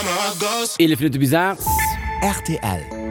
11 Minutte bis 8. Rtl,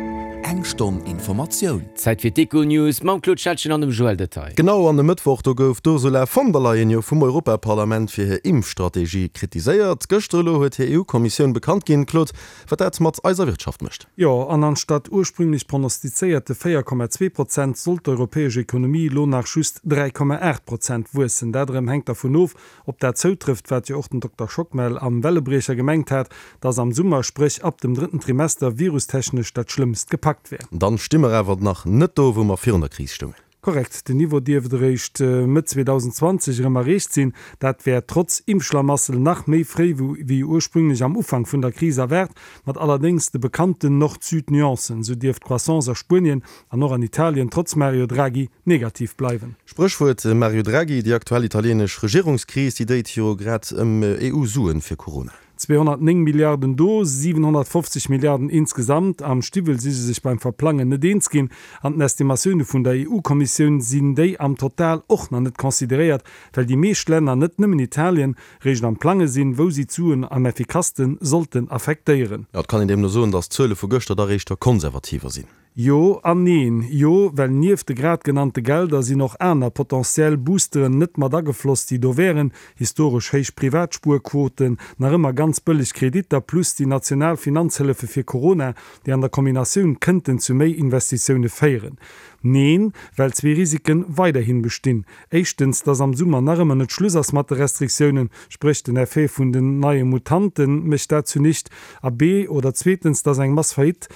Eng Stonn Informatioun. Zäit fir d'Econews mam Claude Schettgen an dem Joël Detaille. Genau, an e Mëttwoch, do gouf d'Ursula von der Leyen jo vum Europaparlament fir hir Impfstrategie kritiséiert. Gëschter elo huet hir EU-Kommissioun bekannt ginn, Claude, wat dat mat eiser Wirtschaft mécht. Jo, an anstatt ursprünglech prognostizéierte 4,2 Prozent soll d'europäesch Ekonomie elo nach just 3,8 Prozent wuessen. Dat erëm hänkt dervun of, Ob dat zoutrëfft, wat jo och den Dokter Schockmel am Wellebriecher gemengt hat, dass am Summer, spréch ab dem drëtten Trimester, virustechnesch dat Schlëmmst gepackt wär. Dann sti mer awer nach net do, wou mer virun der Kris stoungen. Korrekt, den Niveau dierft eréischt Mëtt 2020 erëm erreecht sinn. Dat wär trotz Impfschlamassel nach méi fréi wéi ursprünglech am Ufank vun der Kris erwaart, mat allerdéngs de bekannten Nord-Süd-Nuancen. Sou dierft d'Croissance a Spuenien an och an Italien trotz Mario Draghi negativ bleiwen. Spréchwuert Mario Draghi, Déi aktuell italienesch Regierungskris, déi déit jo grad ëm EU-Suen fir Corona. 209 Milliarden do, 750 Milliarden insgesamt. Am Stiwwel si se sech beim Verplangen net eens ginn. An den Estimatioune vun der EU-Kommissioun sinn déi am Total och nach net consideréiert, well déi meescht Länner, net nëmmen Italien, réischt am Plange sinn, wou si d'Suen am effikasste sollten affektéieren. Jo, et kann een deemno soen, datt d'Zuele vu gëschter dach éischter konservativer sinn. Jo an neen. Jo, well nieft de grad genannte Gelder sinn och aner potentiell Boosteren net mat agefloss, déi do wären, historesch héich Privatspuerquoten, nach ëmmer ganz bëlleg Kreditter plus déi national Finanzhëllefe fir Corona, déi an der Kombinatioun kënnten zu méi Investitioune féieren. Neen, well zwee Risiken weiderhin bestinn. Éischtens, dass am Summer nach ëmmer net Schluss ass mat de Restriktiounen, spréch den Effet vun den neie Mutante mécht dat zunicht, a b oder zweetens, dass eng Mass Faillite,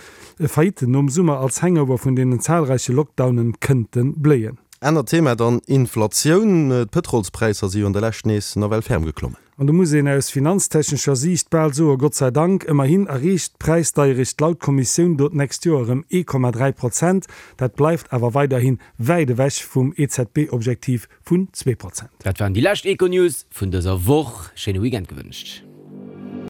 Faillitten nom Summer als Hangover vun deenen zahlreiche Lockdownen kënnte bléien. Anert Thema dann, Inflatioun. D'Pëtrolspräisser si jo an der Lescht nees nawell ferm geklommen. An do muss een aus finanztechnescher Siicht bal soe Gott sei Dank, ëmmerhin erreecht d'Präisdeierecht laut Kommissioun do d'nächst Joer erëm 1,3 Prozent. Dat bleift awer weiderhi wäit ewech vum EZB-Objektiv vun 2 Prozent. Dat waren déi lescht Econews vun dëser Woch. Schéine Weekend gewënscht.